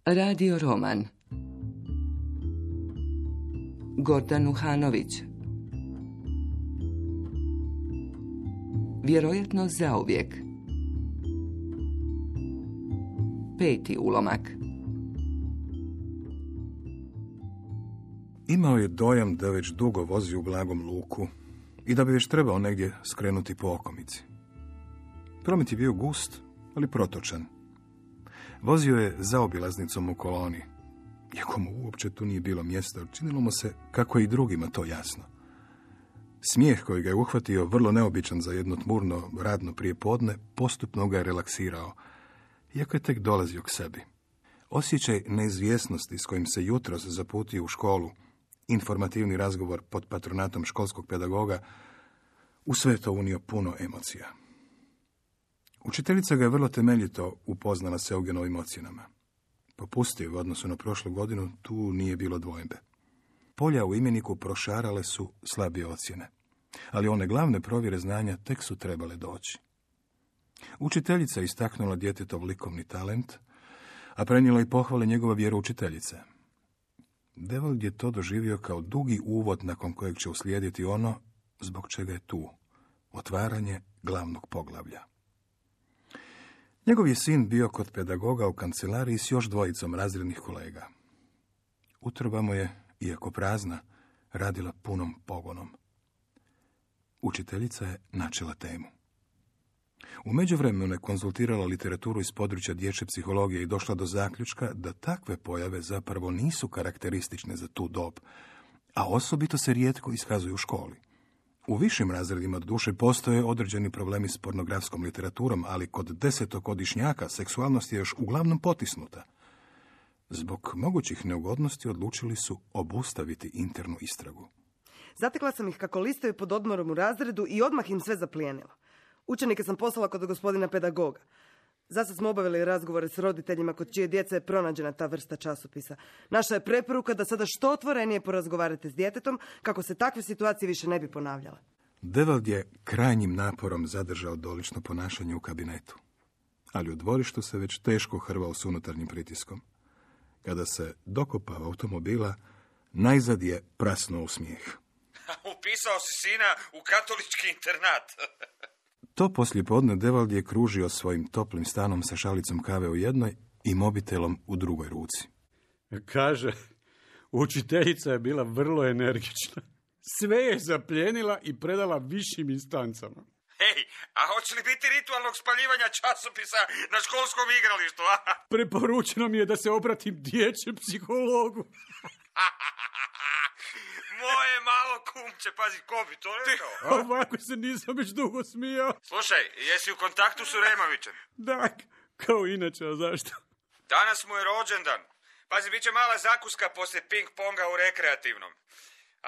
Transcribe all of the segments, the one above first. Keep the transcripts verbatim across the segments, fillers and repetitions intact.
Radio roman. Gordan Uhanović. Vjerojatno zauvijek. Peti ulomak. Imao je dojam da već dugo vozi u blagom luku i da bi već trebao negdje skrenuti po okomici. Promet je bio gust, ali protočan. Vozio je zaobilaznicom u koloni. Iako mu uopće tu nije bilo mjesta, činilo mu se kako je i drugima to jasno. Smijeh koji ga je uhvatio, vrlo neobičan za jedno tmurno radno prijepodne, postupno ga je relaksirao, iako je tek dolazio k sebi. Osjećaj neizvjesnosti s kojim se jutros zaputio u školu, informativni razgovor pod patronatom školskog pedagoga, u sve to unio puno emocija. Učiteljica ga je vrlo temeljito upoznala s Eugenovim ocjenama. Popustio u odnosu na prošlu godinu, tu nije bilo dvojbe. Polja u imeniku prošarale su slabije ocjene, ali one glavne provjere znanja tek su trebale doći. Učiteljica je istaknula djetetov likovni talent, a prenijela i pohvale njegova vjeroučiteljice. Devold je to doživio kao dugi uvod nakon kojeg će uslijediti ono zbog čega je tu, otvaranje glavnog poglavlja. Njegov je sin bio kod pedagoga u kancelariji s još dvojicom razrednih kolega. Utroba mu je, iako prazna, radila punom pogonom. Učiteljica je načela temu. U međuvremenu je konzultirala literaturu iz područja dječje psihologije i došla do zaključka da takve pojave zapravo nisu karakteristične za tu dob, a osobito se rijetko iskazuju u školi. U višim razredima duše postoje određeni problemi s pornografskom literaturom, ali kod desetogodišnjaka seksualnost je još uglavnom potisnuta. Zbog mogućih neugodnosti odlučili su obustaviti internu istragu. Zatekla sam ih kako listaju pod odmorom u razredu i odmah im sve zaplijenila. Učenike sam poslala kod gospodina pedagoga. Zasad smo obavili razgovore s roditeljima kod čije djece je pronađena ta vrsta časopisa. Naša je preporuka da sada što otvorenije porazgovarate s djetetom kako se takve situacije više ne bi ponavljale. Devold je krajnjim naporom zadržao dolično ponašanje u kabinetu, ali u dvorištu se već teško hrvao s unutarnjim pritiskom. Kada se dokopao automobila, najzad je prasnuo u smijeh. Upisao si sina u katolički internat. To poslijepodne Devold je kružio svojim toplim stanom sa šalicom kave u jednoj i mobitelom u drugoj ruci. Kaže, učiteljica je bila vrlo energična. Sve je zaplijenila i predala višim instancama. Hej, a hoće li biti ritualnog spaljivanja časopisa na školskom igralištu, a? Preporučeno mi je da se obratim dječjem psihologu. Moje malo kumče, pazi, ko bi to rekao? Ovako se nisam već dugo smijao. Slušaj, jesi u kontaktu s Uremovićem? Da, kao inače, a zašto? Danas mu je rođendan. Pazi, bit će mala zakuska poslije ping-ponga u rekreativnom.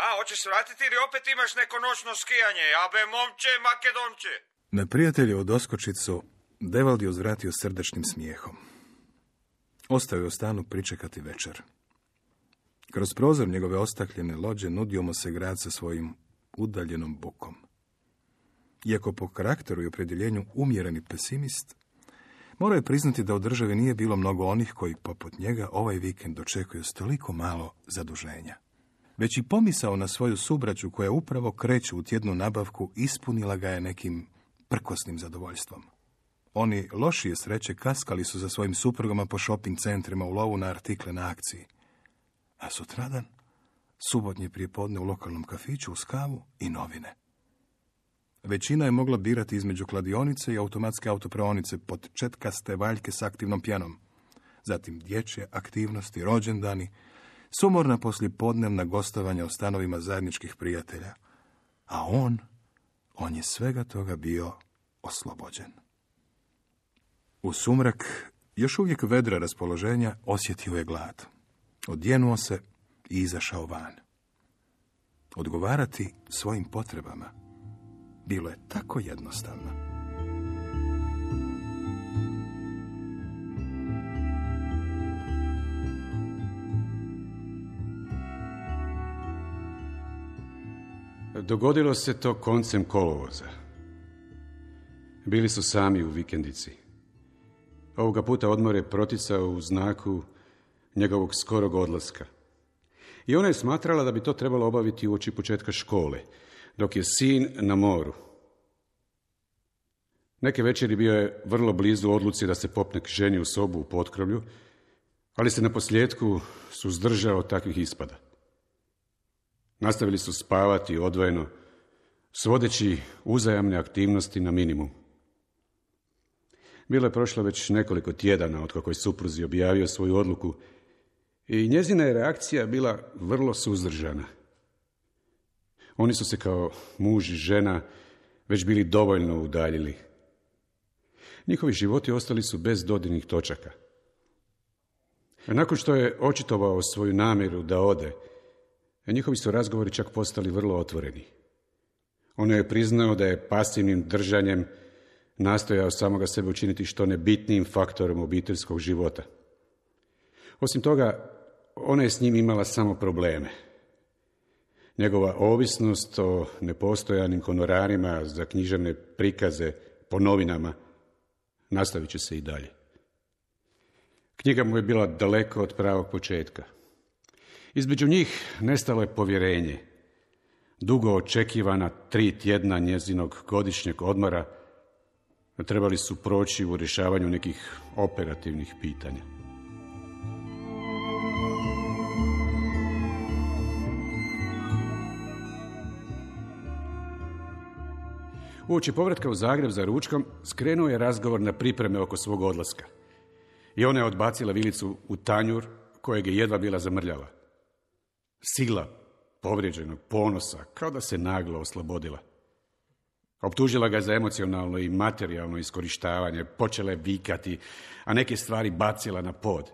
A, hoćeš vratiti ili opet imaš neko noćno skijanje? Abe, momče, makedonče. Na prijateljevu doskočicu Devold je uzvratio srdačnim smijehom. Ostao je u stanu pričekati večer. Kroz prozor njegove ostakljene lođe nudio mu se grad sa svojim udaljenom bukom. Iako po karakteru i opredjeljenju umjereni pesimist, morao je priznati da u državi nije bilo mnogo onih koji, poput njega, ovaj vikend dočekuju s toliko malo zaduženja. Već i pomisao na svoju subraću koja upravo kreće u tjednu nabavku ispunila ga je nekim prkosnim zadovoljstvom. Oni lošije sreće kaskali su za svojim suprugama po shopping centrima u lovu na artikle na akciji. A sutradan, subotnje prijepodne u lokalnom kafiću uz kavu i novine. Većina je mogla birati između kladionice i automatske autopraonice pod četkaste valjke s aktivnom pjenom. Zatim dječje aktivnosti, rođendani, sumorna poslijepodnevna gostovanja u stanovima zajedničkih prijatelja. A on, on je svega toga bio oslobođen. U sumrak, još uvijek vedra raspoloženja, osjetio je glad. Odjenuo se i izašao van. Odgovarati svojim potrebama bilo je tako jednostavno. Dogodilo se to koncem kolovoza. Bili su sami u vikendici. Ovoga puta odmor je proticao u znaku njegovog skorog odlaska. I ona je smatrala da bi to trebalo obaviti uoči početka škole, dok je sin na moru. Neke večeri bio je vrlo blizu odluci da se popne k ženi u sobu u potkrovlju, ali se na posljedku suzdržao od takvih ispada. Nastavili su spavati odvojeno, svodeći uzajamne aktivnosti na minimum. Bilo je prošlo već nekoliko tjedana otkako je supruzi objavio svoju odluku i njezina je reakcija bila vrlo suzdržana. Oni su se kao muž i žena već bili dovoljno udaljili. Njihovi životi ostali su bez dodirnih točaka. A nakon što je očitovao svoju namjeru da ode, njihovi su razgovori čak postali vrlo otvoreni. On je priznao da je pasivnim držanjem nastojao samoga sebe učiniti što nebitnijim faktorom obiteljskog života. Osim toga, ona je s njim imala samo probleme. Njegova ovisnost o nepostojanim honorarima za književne prikaze po novinama nastavit će se i dalje. Knjiga mu je bila daleko od pravog početka. Između njih nestalo je povjerenje. Dugo očekivana tri tjedna njezinog godišnjeg odmora trebali su proći u rješavanju nekih operativnih pitanja. Uoči povratka u Zagreb za ručkom skrenuo je razgovor na pripreme oko svog odlaska. I ona je odbacila vilicu u tanjur kojeg je jedva bila zamrljala. Sila povrijeđenog ponosa, kao da se naglo oslobodila. Optužila ga za emocionalno i materijalno iskorištavanje, počela je vikati, a neke stvari bacila na pod.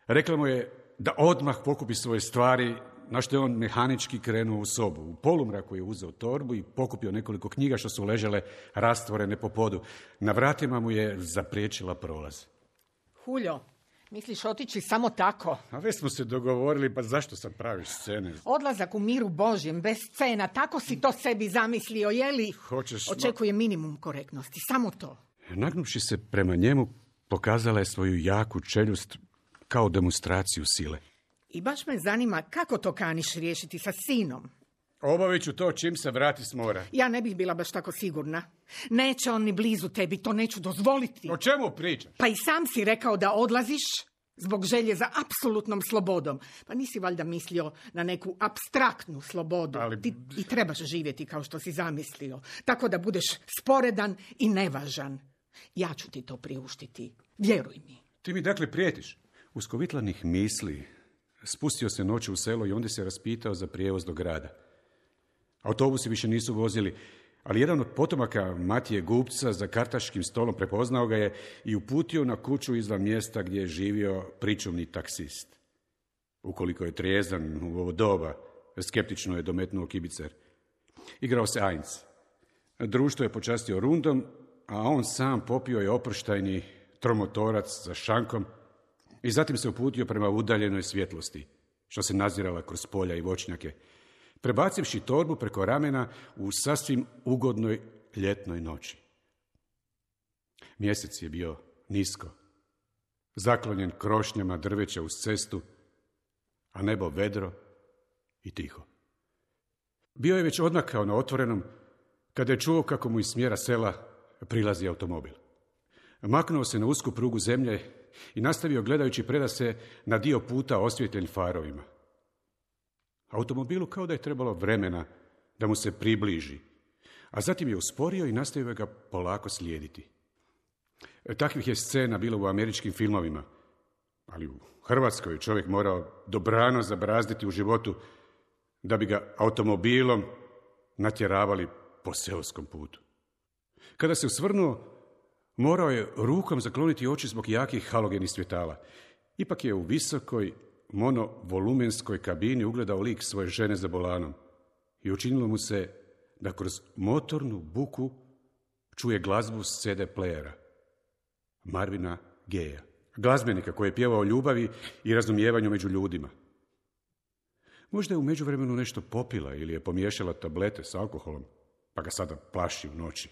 Rekla mu je da odmah pokupi svoje stvari, na što je on mehanički krenuo u sobu. U polumraku je uzeo torbu i pokupio nekoliko knjiga što su ležale rastvorene po podu. Na vratima mu je zapriječila prolaz. Huljo, misliš otići samo tako? A već smo se dogovorili, pa zašto sad praviš scene? Odlazak u miru Božjem, bez scena, tako si to sebi zamislio, je li? Hoćeš... Očekuje minimum korektnosti, samo to. Nagnuvši se prema njemu, pokazala je svoju jaku čeljust kao demonstraciju sile. I baš me zanima kako to kaniš riješiti sa sinom. Obavit ću to čim se vrati s mora. Ja ne bih bila baš tako sigurna. Neće on ni blizu tebi, to neću dozvoliti. O čemu pričaš? Pa i sam si rekao da odlaziš zbog želje za apsolutnom slobodom. Pa nisi valjda mislio na neku apstraktnu slobodu. Ali... Ti i trebaš živjeti kao što si zamislio. Tako da budeš sporedan i nevažan. Ja ću ti to priuštiti. Vjeruj mi. Ti mi dakle prijetiš? Uskovitlanih misli spustio se noću u selo i onda se raspitao za prijevoz do grada. Autobusi više nisu vozili, ali jedan od potomaka Matije Gupca za kartaškim stolom prepoznao ga je i uputio na kuću izvan mjesta gdje je živio pričuvni taksist. Ukoliko je trijezan u ovo doba, skeptično je dometnuo kibicer. Igrao se Ainz. Društvo je počastio rundom, a on sam popio je oproštajni tromotorac za šankom i zatim se uputio prema udaljenoj svjetlosti, što se nazirala kroz polja i voćnjake, prebacivši torbu preko ramena u sasvim ugodnoj ljetnoj noći. Mjesec je bio nisko, zaklonjen krošnjama drveća uz cestu, a nebo vedro i tiho. Bio je već odmakao na otvorenom, kada je čuo kako mu iz smjera sela prilazi automobil. Maknuo se na usku prugu zemlje i nastavio gledajući predase na dio puta osvjetljen farovima. Automobilu kao da je trebalo vremena da mu se približi, a zatim je usporio i nastavio ga polako slijediti. Takvih je scena bilo u američkim filmovima, ali u Hrvatskoj čovjek morao dobrano zabrazditi u životu da bi ga automobilom natjeravali po seoskom putu. Kada se usvrnuo, morao je rukom zakloniti oči zbog jakih halogenih svjetala. Ipak je u visokoj, monovolumenskoj kabini ugledao lik svoje žene za volanom i učinilo mu se da kroz motornu buku čuje glazbu s ce de playera, Marvina Gayeja, glazbenika koji je pjevao o ljubavi i razumijevanju među ljudima. Možda je u međuvremenu nešto popila ili je pomiješala tablete s alkoholom, pa ga sada plaši u noći.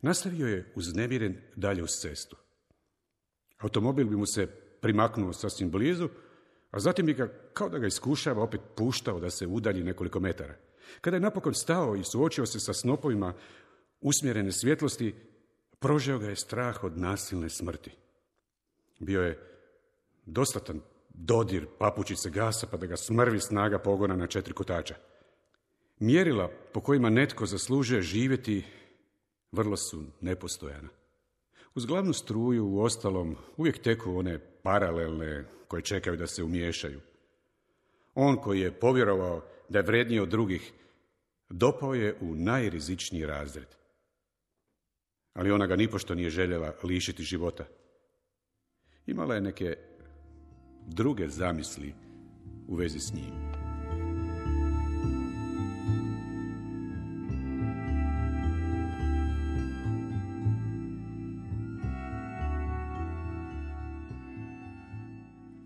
Nastavio je uznemiren dalje uz cestu. Automobil bi mu se primaknuo sasvim blizu, a zatim bi ga, kao da ga iskušava, opet puštao da se udalji nekoliko metara. Kada je napokon stao i suočio se sa snopovima usmjerene svjetlosti, prožeo ga je strah od nasilne smrti. Bio je dostatan dodir papučice gasa pa da ga smrvi snaga pogona na četiri kotača. Mjerila po kojima netko zaslužuje živjeti vrlo su nepostojana. Uz glavnu struju, u ostalom, uvijek teku one paralelne koje čekaju da se umiješaju. On koji je povjerovao da je vredniji od drugih, dopao je u najrizičniji razred. Ali ona ga nipošto nije željela lišiti života. Imala je neke druge zamisli u vezi s njim.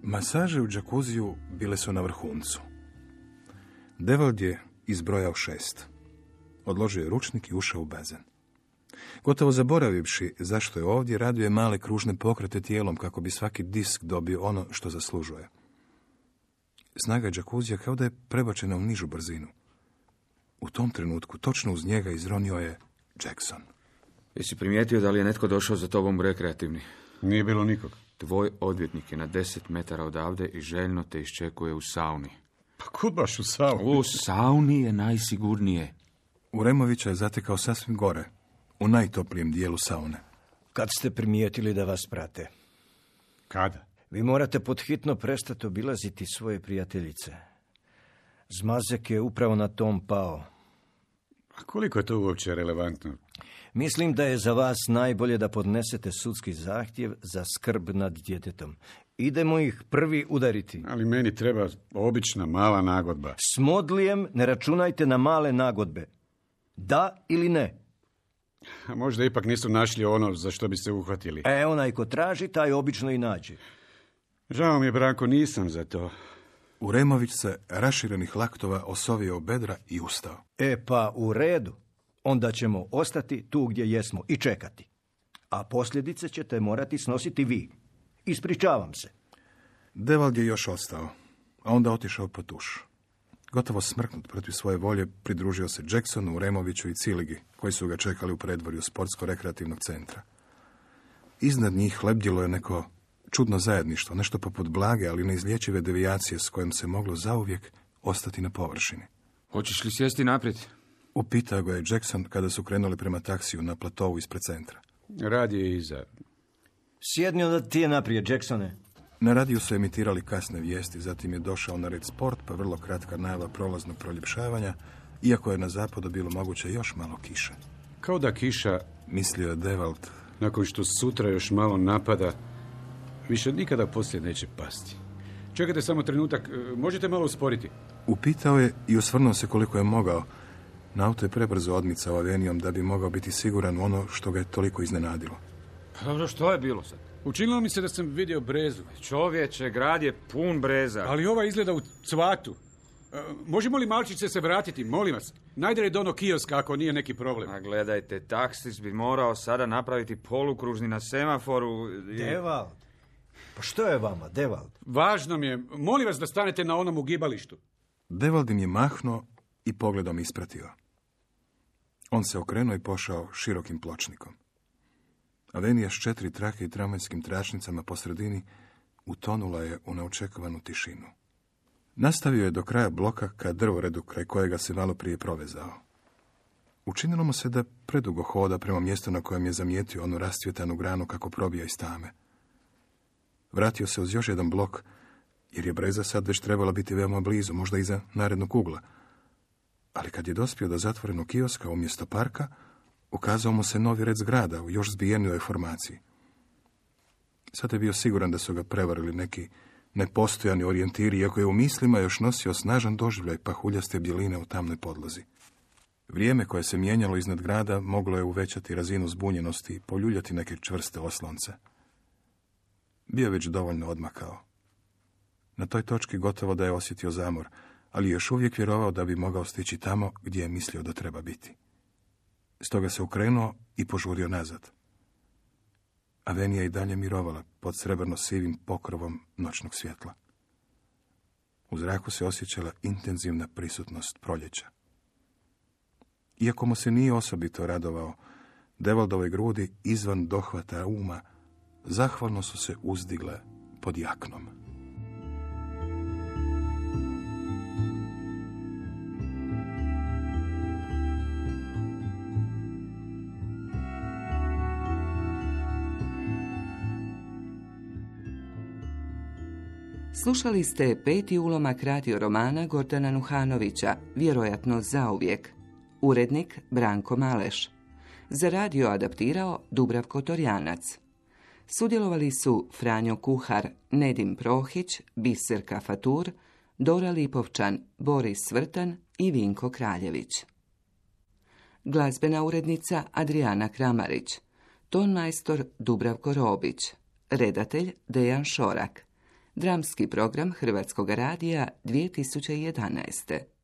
Masaže u džakuziju bile su na vrhuncu. Devald je izbrojao šest. Odložio je ručnik i ušao u bazen. Gotovo zaboravivši zašto je ovdje, radio je male kružne pokrete tijelom kako bi svaki disk dobio ono što zaslužuje. Snaga džakuzija kao da je prebačena u nižu brzinu. U tom trenutku točno uz njega izronio je Jackson. Jesi primijetio da li je netko došao za tobom u rekreativni? Nije bilo nikog. Tvoj odvjetnik je na deset metara odavde i željno te iščekuje u sauni. Pa kud baš u sauni? U sauni je najsigurnije. Uremovića je zatekao sasvim gore, u najtoplijem dijelu saune. Kad ste primijetili da vas prate? Kada? Vi morate podhitno prestati obilaziti svoje prijateljice. Zmazek je upravo na tom pao. A koliko je to uopće relevantno? Mislim da je za vas najbolje da podnesete sudski zahtjev za skrb nad djetetom. Idemo ih prvi udariti. Ali meni treba obična mala nagodba. S Modlijem ne računajte na male nagodbe. Da ili ne? A možda ipak nisu našli ono za što bi se uhvatili. E, onaj ko traži, taj obično i nađe. Žao mi je, Branko, nisam za to. Uremović se raširenih laktova osovio u bedra i ustao. E pa u redu. Onda ćemo ostati tu gdje jesmo i čekati. A posljedice ćete morati snositi vi. Ispričavam se. Devald je još ostao, a onda otišao po tuš. Gotovo smrknut protiv svoje volje, pridružio se Jacksonu, Uremoviću i Ciligi, koji su ga čekali u predvorju sportsko-rekreativnog centra. Iznad njih lebdjelo je neko čudno zajedništvo, nešto poput blage, ali neizlječive devijacije s kojom se moglo zauvijek ostati na površini. Hoćeš li sjesti naprijed? Upitao ga je Jackson kada su krenuli prema taksiju na platovu ispred centra. Rad je iza. Sjedni onda ti je naprijed, Jacksone. Na radiju su emitirali kasne vijesti, zatim je došao na red sport, pa vrlo kratka najava prolaznog proljepšavanja, iako je na zapadu bilo moguće još malo kiše. Kao da kiša, mislio je Devald, nakon što sutra još malo napada, više nikada poslije neće pasti. Čekajte samo trenutak, možete malo usporiti? Upitao je i osvrnuo se koliko je mogao. Na auto je prebrzo odmicao avenijom da bi mogao biti siguran u ono što ga je toliko iznenadilo. Dobro, što je bilo sad? Učinilo mi se da sam vidio brezu. Čovječe, grad je pun breza. Ali ova izgleda u cvatu. E, možemo li malčice se vratiti, molim vas? Najdalje do onog kioska ako nije neki problem. A gledajte, taksis bi morao sada napraviti polukružni na semaforu. I... Devald. Pa što je vama, Devald? Važno mi je, molim vas da stanete na onom ugibalištu. Devald im je mahnuo i pogledom ispratio. On se okrenuo i pošao širokim pločnikom. Avenija s četiri trake i tramvajskim tračnicama po sredini utonula je u neočekivanu tišinu. Nastavio je do kraja bloka ka drvoredu kraj kojega se malo prije provezao. Učinilo mu se da predugo hoda prema mjestu na kojem je zamijetio onu rascvjetanu granu kako probija iz tame. Vratio se uz još jedan blok, jer je breza sad već trebala biti veoma blizu, možda iza narednog ugla. Ali kad je dospio do zatvorenog kioska umjesto parka, ukazao mu se novi red zgrada u još zbijenijoj formaciji. Sad je bio siguran da su ga prevarili neki nepostojani orijentiri, iako je u mislima još nosio snažan doživljaj pahuljaste bjeline u tamnoj podlozi. Vrijeme koje se mijenjalo iznad grada moglo je uvećati razinu zbunjenosti i poljuljati neke čvrste oslonce. Bio već dovoljno odmakao. Na toj točki gotovo da je osjetio zamor, ali još uvijek vjerovao da bi mogao stići tamo gdje je mislio da treba biti. Stoga se okrenuo i požurio nazad. Avenija i dalje mirovala pod srebrno-sivim pokrovom noćnog svjetla. U zraku se osjećala intenzivna prisutnost proljeća. Iako mu se nije osobito radovao, Devaldove grudi izvan dohvata uma zahvalno su se uzdigle pod jaknom. Slušali ste peti ulomak radio romana Gordana Nuhanovića, Vjerojatno zauvijek. Urednik Branko Maleš. Za radio adaptirao Dubravko Torjanac. Sudjelovali su Franjo Kuhar, Nedim Prohić, Biserka Fatur, Dora Lipovčan, Boris Svrtan i Vinko Kraljević. Glazbena urednica Adriana Kramarić. Tonmajstor Dubravko Robić. Redatelj Dejan Šorak. Dramski program Hrvatskog radija dvije tisuće jedanaeste.